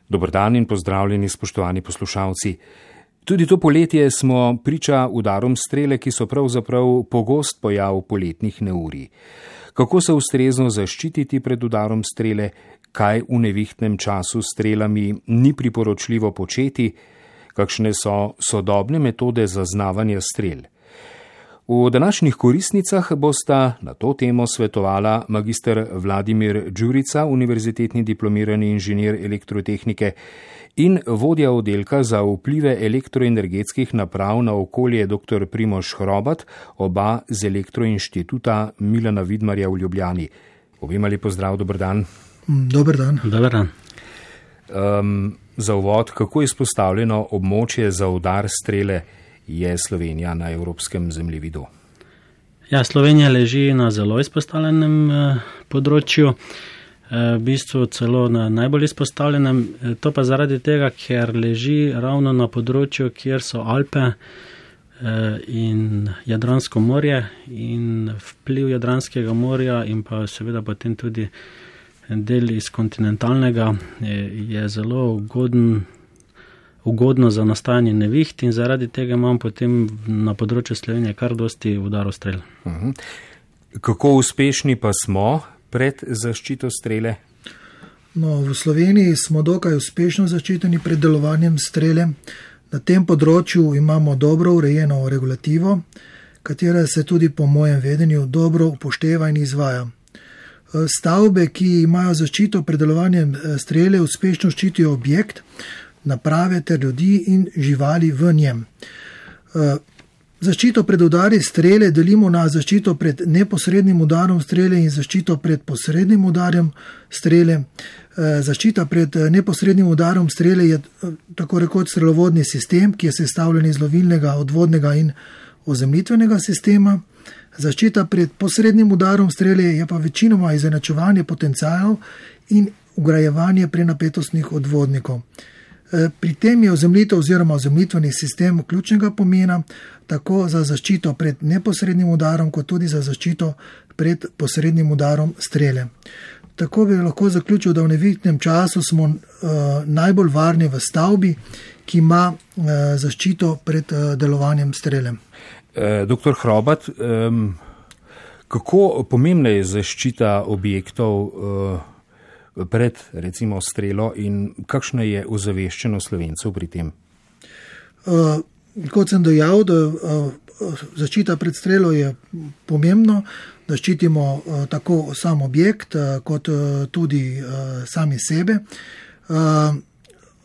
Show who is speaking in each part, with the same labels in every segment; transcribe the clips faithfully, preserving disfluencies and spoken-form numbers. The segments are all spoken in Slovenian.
Speaker 1: Dober dan in pozdravljeni, spoštovani poslušalci. Tudi to poletje smo priča udarom strele, ki so pravzaprav pogost pojav poletnih neurij. Kako se ustrezno zaščititi pred udarom strele, kaj v nevihtnem času s strelami ni priporočljivo početi, kakšne so sodobne metode zaznavanja strel. V današnjih koristnicah bosta na to temo svetovala magister Vladimir Đurica, univerzitetni diplomirani inženir elektrotehnike in vodja oddelka za vplive elektroenergetskih naprav na okolje dr. Primož Hrobat, oba z Elektroinštituta Milana Vidmarja v Ljubljani. Obema lep pozdrav, dober dan.
Speaker 2: Dober dan.
Speaker 3: Dober dan.
Speaker 1: Um, za uvod, kako je izpostavljeno območje za udar strele je Slovenija na evropskem zemljevidu?
Speaker 3: Ja, Slovenija leži na zelo izpostavljenem eh, področju, eh, v bistvu celo na najbolj izpostavljenem, eh, to pa zaradi tega, ker leži ravno na področju, kjer so Alpe eh, in Jadransko morje, in vpliv Jadranskega morja in pa seveda potem tudi del iz kontinentalnega je, je zelo ugoden ugodno za nastajanje neviht in zaradi tega imam potem na področju Slovenije kar dosti udarov strel.
Speaker 1: Uh-huh. Kako uspešni pa smo pred zaščito strele?
Speaker 2: No, v Sloveniji smo dokaj uspešno zaščiteni pred delovanjem strele. Na tem področju imamo dobro urejeno regulativo, katera se tudi po mojem vedenju dobro upošteva in izvaja. Stavbe, ki imajo zaščito pred delovanjem strele, uspešno ščitijo objekt, naprave ter ljudi in živali v njem. Zaščito pred udari strele delimo na zaščito pred neposrednim udarom strele in zaščito pred posrednim udarjem strele. Zaščita pred neposrednim udarom strele je tako rekoč strelovodni sistem, ki je sestavljen iz lovilnega, odvodnega in ozemljitvenega sistema. Zaščita pred posrednim udarom strele je pa večinoma izenačevanje potencialov in vgrajevanje prenapetostnih odvodnikov. Pri tem je ozemljitev oziroma ozemljitveni sistem ključnega pomena, tako za zaščito pred neposrednim udarom, kot tudi za zaščito pred posrednim udarom strele. Tako bi lahko zaključil, da v nevihtnem času smo uh, najbolj varni v stavbi, ki ima uh, zaščito pred uh, delovanjem strele.
Speaker 1: E, doktor Hrobat, um, kako pomembna je zaščita objektov uh, pred recimo strelo in kakšna je ozaveščenost Slovencev pri tem?
Speaker 2: Uh, kot sem dejal, da uh, zaščita pred strelo je pomembno, da ščitimo uh, tako sam objekt uh, kot uh, tudi uh, sami sebe. Uh,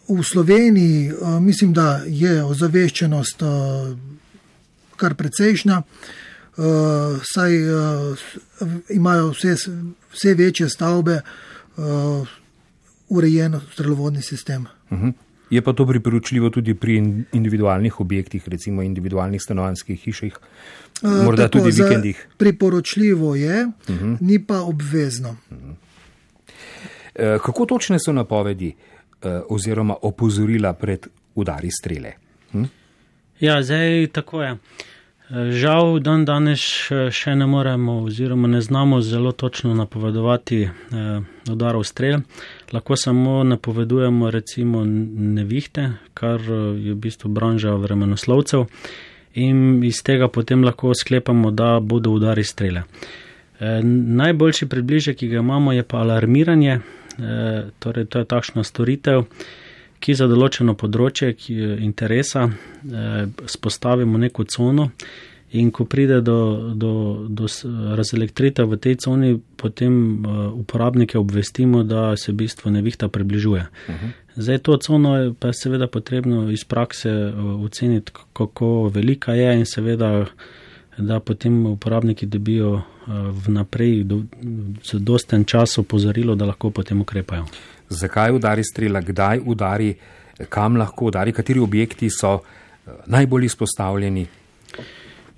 Speaker 2: v Sloveniji uh, mislim, da je ozaveščenost uh, kar precejšnja, uh, saj uh, imajo vse, vse večje stavbe Uh, urejen strelovodni sistem.
Speaker 1: Uh-huh. Je pa to priporočljivo tudi pri individualnih objektih, recimo individualnih stanovanjskih hišah, uh, morda tako, tudi vikendih?
Speaker 2: Priporočljivo je, uh-huh. Ni pa obvezno.
Speaker 1: Uh-huh. Uh, kako točne so napovedi uh, oziroma opozorila pred udari strele? Hm?
Speaker 3: Ja, zdaj tako je. Žal, dan danes še ne moremo oziroma ne znamo zelo točno napovedovati eh, udarov strel. Lahko samo napovedujemo recimo nevihte, kar je v bistvu branža vremenoslovcev, in iz tega potem lahko sklepamo, da bodo udari strele. Eh, najboljši približek, ki ga imamo, je pa alarmiranje, eh, torej to je takšna storitev, ki za določeno področje ki interesa eh, spostavimo neko cono in ko pride do, do, do razelektritev v tej coni, potem eh, uporabnike obvestimo, da se v bistvu nevihta približuje. Uh-huh. Zdaj to cono je pa seveda potrebno iz prakse oceniti, kako velika je in seveda, da potem uporabniki dobijo vnaprej z dosten čas opozorilo, da lahko potem ukrepajo.
Speaker 1: Zakaj udari strela, kdaj udari, kam lahko udari, kateri objekti so najbolj izpostavljeni?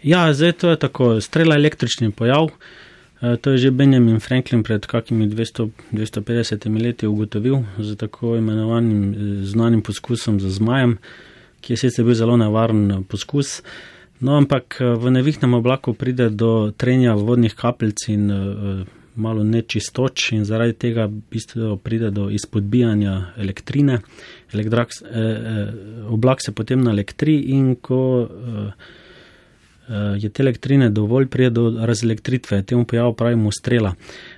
Speaker 3: Ja, zdaj to je tako, strela električni pojav, to je že Benjamin Franklin pred kakimi dvesto do dvesto petdeset leti ugotovil z tako imenovanim znanim poskusom z zmajem, ki je sicer bil zelo nevaren poskus. No, ampak v nevihtnem oblaku pride do trenja vodnih kapljic in malo nečistoč in zaradi tega v bistvu pride do izpodbijanja elektrine. Elektrak, eh, eh, oblak se potem naelektri in ko eh, eh, je te elektrine dovolj, pride do razelektritve. Temu pojavu pravimo strela.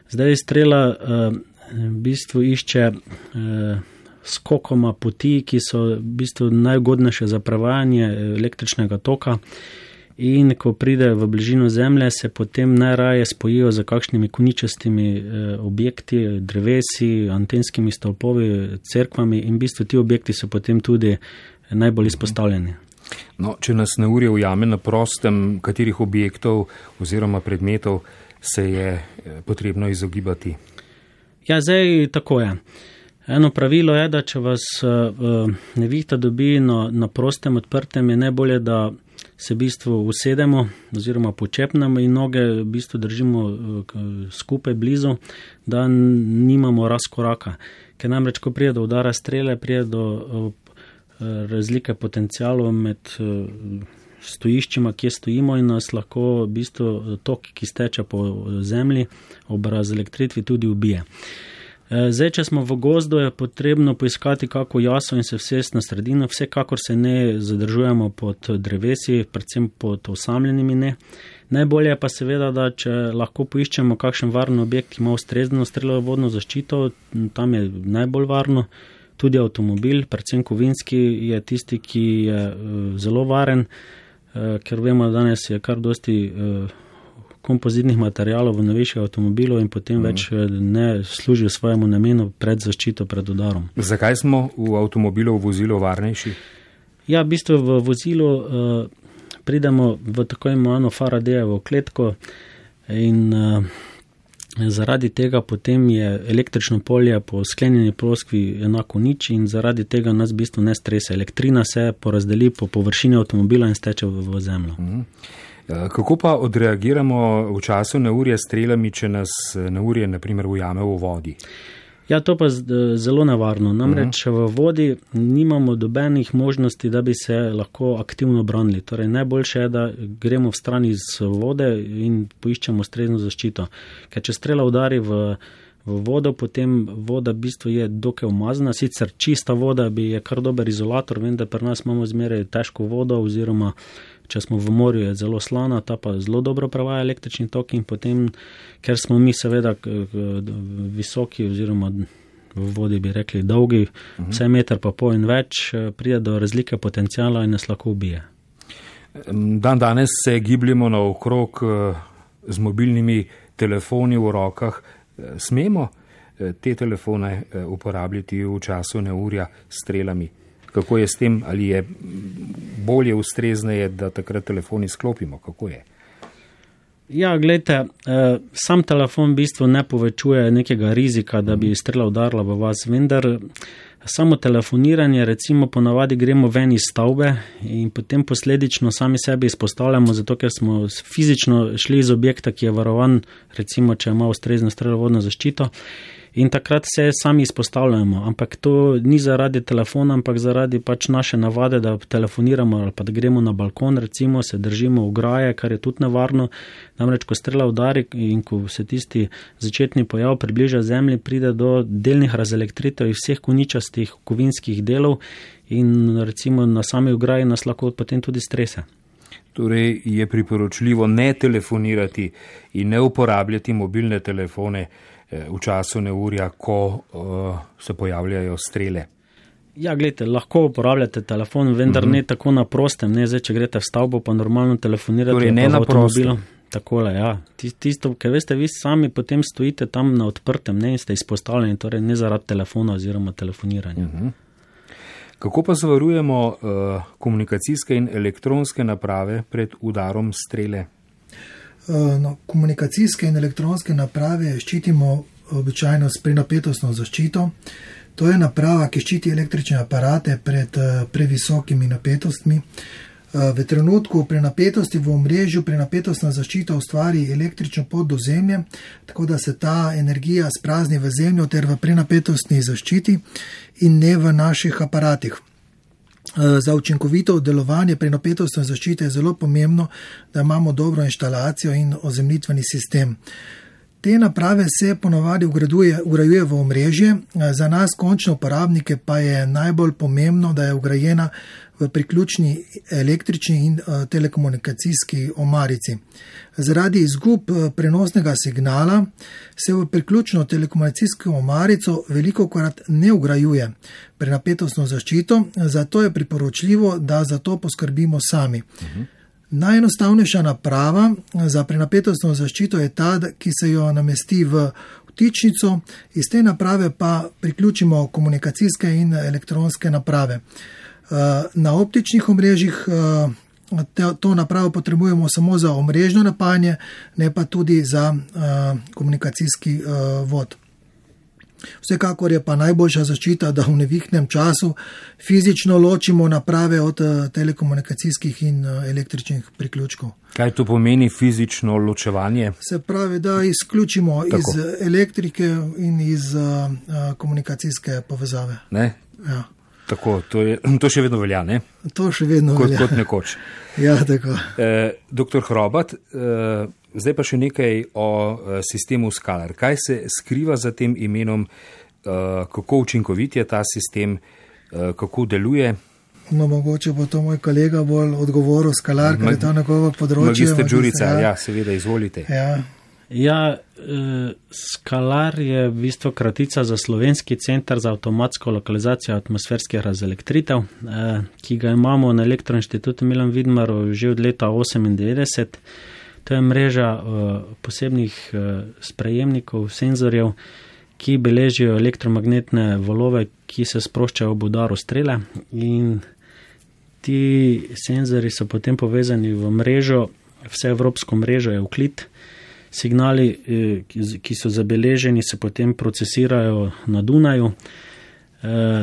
Speaker 3: Zdaj strela eh, v bistvu išče eh, skokoma poti, ki so v bistvu najugodnejše za prevajanje električnega toka. In ko pride v bližino Zemlje, se potem najraje spojijo z kakšnimi koničastimi eh, objekti, drevesi, antenskimi stolpovi, cerkvami in v bistvu ti objekti so potem tudi najbolj izpostavljeni.
Speaker 1: No, če nas neurje ujame na prostem, katerih objektov oziroma predmetov se je potrebno izogibati? Ja,
Speaker 3: zdaj tako je. Eno pravilo je, da če vas uh, nevihta dobi na, na prostem odprtem, je najbolje, da se v bistvu usedemo oziroma počepnemo in noge v bistvu držimo uh, skupaj blizu, da nimamo razkoraka. Ker namreč, ko prije do udara strele, prije do uh, razlike potencialov med uh, stojiščima, kje stojimo in nas lahko v bistvu tok, ki steče po zemlji, ob razelektritvi tudi ubije. Zdaj, če smo v gozdu, je potrebno poiskati kako jaso in se vsest na sredino, vsekakor se ne zadržujemo pod drevesi, predvsem pod osamljenimi ne. Najbolje pa seveda, da če lahko poiščemo kakšen varen objekt, ki ima ustrezno strelovodno zaščito, tam je najbolj varno. Tudi avtomobil, predvsem kovinski, je tisti, ki je zelo varen, ker vemo, da danes je kar dosti kompozitnih materialov v novejših avtomobilov in potem več ne služijo svojemu namenu pred zaščito pred udarom.
Speaker 1: Zakaj smo v avtomobilu v vozilu varnejši?
Speaker 3: Ja, v bistvu v vozilu uh, pridemo v tako imenovano Faradayevo kletko in uh, zaradi tega potem je električno polje po sklenjeni ploskvi enako nič in zaradi tega nas v bistvu ne stresa. Elektrina se porazdeli po površini avtomobila in steče v, v zemljo. Mhm.
Speaker 1: Kako pa odreagiramo v času neurja s strelami, če nas neurje naprimer ujame v vodi?
Speaker 3: Ja, to pa zelo nevarno. Namreč uh-huh. v vodi nimamo dobenih možnosti, da bi se lahko aktivno branili. Torej, najboljše je, da gremo v stran iz vode in poiščemo ustrezno zaščito. Ker če strela udari v, v vodo, potem voda v bistvu je dokaj umazana. Sicer čista voda bi je kar dober izolator, vem, da pri nas imamo zmeraj težko vodo oziroma če smo v morju, je zelo slana, ta pa zelo dobro prevaja električni tok in potem, ker smo mi seveda visoki oziroma v vodi bi rekli dolgi, uh-huh. vse meter pa pol in več, pride do razlike potencijala in nas lahko ubije.
Speaker 1: Dan danes se gibljemo naokrog z mobilnimi telefoni v rokah. Smemo te telefone uporabljati v času neurja s strelami? Kako je s tem, ali je bolje ustrezneje, da takrat telefon izklopimo? Kako je?
Speaker 3: Ja, gledajte, sam telefon v bistvu ne povečuje nekega rizika, da bi strela udarila v vas, vendar samo telefoniranje, recimo ponavadi gremo ven iz stavbe in potem posledično sami sebi izpostavljamo, zato ker smo fizično šli iz objekta, ki je varovan, recimo, če ima ustrezno strelovodno zaščito. In takrat se sami izpostavljamo, ampak to ni zaradi telefona, ampak zaradi pač naše navade, da telefoniramo ali pa da gremo na balkon, recimo se držimo ograje, kar je tudi nevarno. Namreč, ko strela udari in ko se tisti začetni pojav približa zemlji, pride do delnih razelektritev vseh koničastih kovinskih delov in recimo na sami ograji nas lahko potem tudi strese.
Speaker 1: Torej je priporočljivo ne telefonirati in ne uporabljati mobilne telefone v času neurja, ko uh, se pojavljajo strele.
Speaker 3: Ja, gledajte, lahko uporabljate telefon, vendar uh-huh. ne tako na prostem, ne zdaj, če greste v stavbo, pa normalno telefonirate.
Speaker 1: Torej ne na prostem.
Speaker 3: Takole, ja. Tisto, ker veste, vi sami potem stojite tam na odprtem, ne, in ste izpostavljeni, torej ne zaradi telefona oziroma telefoniranja.
Speaker 1: Uh-huh. Kako pa zavarujemo uh, komunikacijske in elektronske naprave pred udarom strele?
Speaker 2: No, komunikacijske in elektronske naprave ščitimo običajno s prenapetostno zaščito. To je naprava, ki ščiti električne aparate pred previsokimi napetostmi. V trenutku prenapetosti v omrežju prenapetostna zaščita ustvari električno pot do zemlje, tako da se ta energija sprazni v zemljo ter v prenapetostni zaščiti in ne v naših aparatih. Za učinkovito delovanje prenapetostne zaščite je zelo pomembno, da imamo dobro inštalacijo in ozemljitveni sistem. Te naprave se ponovadi vgrajuje, vgrajuje v omrežje, za nas končne uporabnike pa je najbolj pomembno, da je vgrajena v priključni električni in telekomunikacijski omarici. Zaradi izgub prenosnega signala se v priključno telekomunikacijsko omarico velikokrat ne vgrajuje prenapetostno zaščito, zato je priporočljivo, da za to poskrbimo sami. Uh-huh. Najenostavnejša naprava za prenapetostno zaščito je ta, ki se jo namesti v vtičnico, iz te naprave pa priključimo komunikacijske in elektronske naprave. Na optičnih omrežjih to napravo potrebujemo samo za omrežno napajanje, ne pa tudi za komunikacijski vod. Vsekakor je pa najboljša zaščita, da v nevihnem času fizično ločimo naprave od telekomunikacijskih in električnih priključkov.
Speaker 1: Kaj to pomeni fizično ločevanje?
Speaker 2: Se pravi, da izključimo Tako. iz elektrike in iz uh, komunikacijske povezave.
Speaker 1: Ne?
Speaker 2: Ja.
Speaker 1: Tako, to, je, to še vedno velja, ne?
Speaker 2: To še vedno
Speaker 1: kot,
Speaker 2: velja.
Speaker 1: Kot nekoč.
Speaker 2: Ja, tako.
Speaker 1: Eh, doktor Hrobat, eh, zdaj pa še nekaj o eh, sistemu Skalar. Kaj se skriva za tem imenom, eh, kako učinkovit je ta sistem, eh, kako deluje?
Speaker 2: No, mogoče bo to moj kolega bolj odgovoril, Skalar, ker je to nekoga področje.
Speaker 1: Magister Đurica, ja, seveda, izvolite.
Speaker 2: Ja.
Speaker 3: Ja, eh, Skalar je v bistvu kratica za Slovenski center za avtomatsko lokalizacijo atmosferskih razelektritev, eh, ki ga imamo na Elektroinštitutu Milan Vidmarov že od leta osemindevetdeset. To je mreža eh, posebnih eh, sprejemnikov, senzorjev, ki beležijo elektromagnetne valove, ki se sproščajo ob udaru strele, in ti senzori so potem povezani v mrežo, vseevropsko mrežo Euclid. Signali, ki so zabeleženi, se potem procesirajo na Dunaju,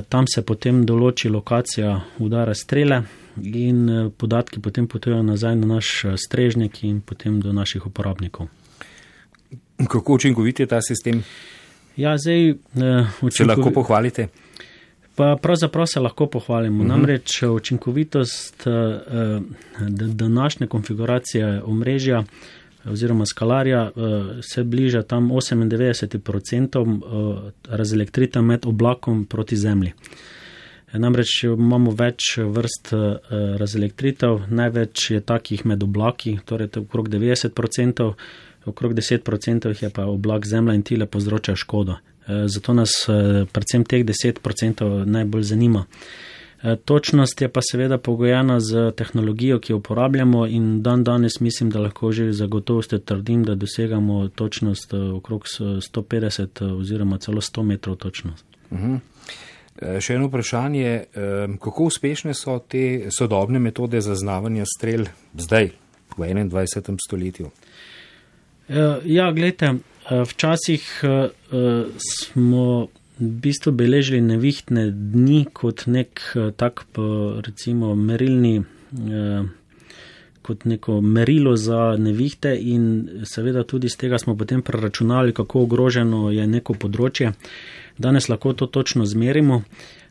Speaker 3: tam se potem določi lokacija udara strele in podatki potem potujejo nazaj na naš strežnik in potem do naših uporabnikov.
Speaker 1: Kako učinkovit je ta sistem?
Speaker 3: Ja, zdaj, učinkovi...
Speaker 1: Se lahko pohvalite?
Speaker 3: Pa pravzaprav se lahko pohvalimo. Uh-huh. Namreč učinkovitost današnje konfiguracije omrežja oziroma Skalarja se bliža tam osemindevetdeset procentov razelektritev med oblakom proti zemlji. Namreč imamo več vrst razelektritev, največ je takih med oblaki, torej okrog devetdeset procentov, okrog deset procentov je pa oblak zemlja in tile povzročajo škodo. Zato nas predvsem teh deset procentov najbolj zanima. Točnost je pa seveda pogojena z tehnologijo, ki jo uporabljamo, in dan danes mislim, da lahko že zagotovostjo trdim, da dosegamo točnost okrog sto petdeset oziroma celo sto metrov točnost.
Speaker 1: Uh-huh. Še eno vprašanje, kako uspešne so te sodobne metode zaznavanja strel zdaj, v enaindvajsetem stoletju?
Speaker 3: Ja, gledajte, včasih smo v bistvu beležili nevihtne dni kot nek tak, recimo, merilni, kot neko merilo za nevihte, in seveda tudi z tega smo potem preračunali, kako ogroženo je neko področje. Danes lahko to točno zmerimo,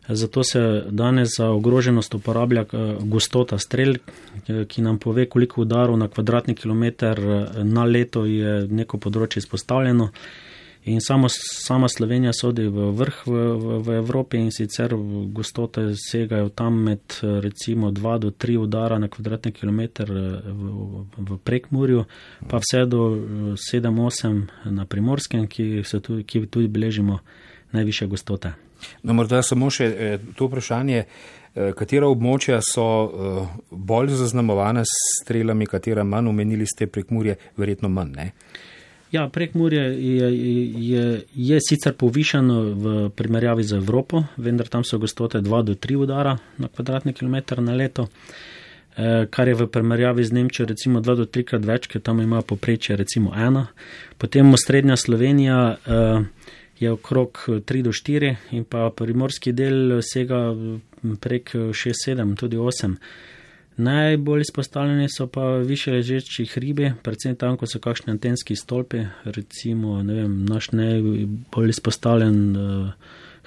Speaker 3: zato se danes za ogroženost uporablja gostota strel, ki nam pove, koliko udarov na kvadratni kilometer na leto je neko področje izpostavljeno. In samo, sama Slovenija sodi v vrh v, v, v Evropi, in sicer gostote segajo tam med recimo dva do tri udara na kvadratni kilometer v, v Prekmurju, pa vse do sedem osem na Primorskem, ki, se tudi, ki tudi beležimo najvišje gostote.
Speaker 1: No, morda samo še to vprašanje, katera območja so bolj zaznamovana s strelami, katera manj, omenili ste Prekmurje, verjetno manj, ne?
Speaker 3: Ja, Prekmurje je, je, je sicer povišano v primerjavi z Evropo, vendar tam so gostote dva do tri udara na kvadratni kilometer na leto, kar je v primerjavi z Nemčijo recimo dva do trikrat več, ker tam ima poprečje recimo ena. Potem osrednja Slovenija je okrog tri do štiri in pa primorski del sega prek šest sedem, tudi osem. Najbolj izpostavljeni so pa više ležeči hribi, predvsem tam, ko so kakšni antenski stolpi, recimo, ne vem, naš najbolj izpostavljen uh,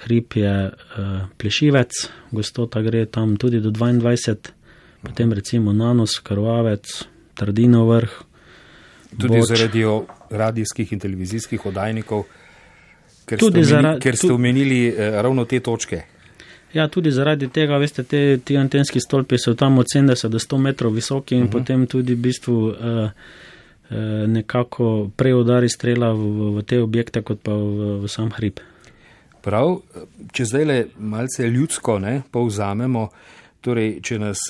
Speaker 3: hrib je uh, Plešivec, gostota gre tam tudi do dvaindvajset, potem recimo Nanos, Krvavec, Trdinov vrh.
Speaker 1: Tudi Boč. Zaradi radijskih in televizijskih oddajnikov, ker
Speaker 3: Tudi
Speaker 1: ste, omeni,
Speaker 3: zara-
Speaker 1: ker ste
Speaker 3: tu-
Speaker 1: omenili eh, ravno te točke.
Speaker 3: Ja, tudi zaradi tega, veste, te, ti antenski stolpi so tam od sedemdeset do sto metrov visoki in uh-huh. potem tudi v bistvu uh, uh, nekako prej udari strela v, v, v te objekte, kot pa v, v sam hrib.
Speaker 1: Prav, če zdaj le malce ljudsko ne, povzamemo, torej, če nas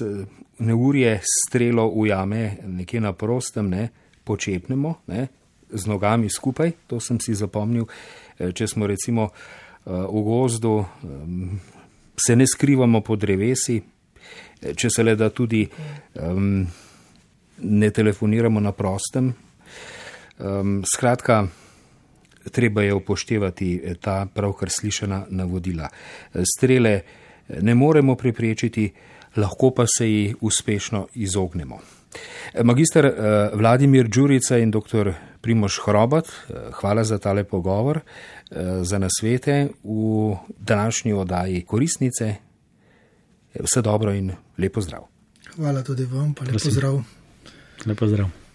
Speaker 1: neurje strelo ujame nekje na prostem, ne, počepnemo ne, z nogami skupaj, to sem si zapomnil, če smo recimo v gozdu, se ne skrivamo pod drevesi, če se le da tudi um, ne telefoniramo na prostem. Um, skratka, treba je upoštevati ta pravkar slišana navodila. Strele ne moremo preprečiti, lahko pa se ji uspešno izognemo. Magister Vladimir Đurica in doktor Primož Hrobat, hvala za tale pogovor, za nasvete v današnji oddaji Koristnice. Vse dobro in lep pozdrav.
Speaker 2: Hvala tudi vam, pa lep pozdrav.
Speaker 3: Lep pozdrav.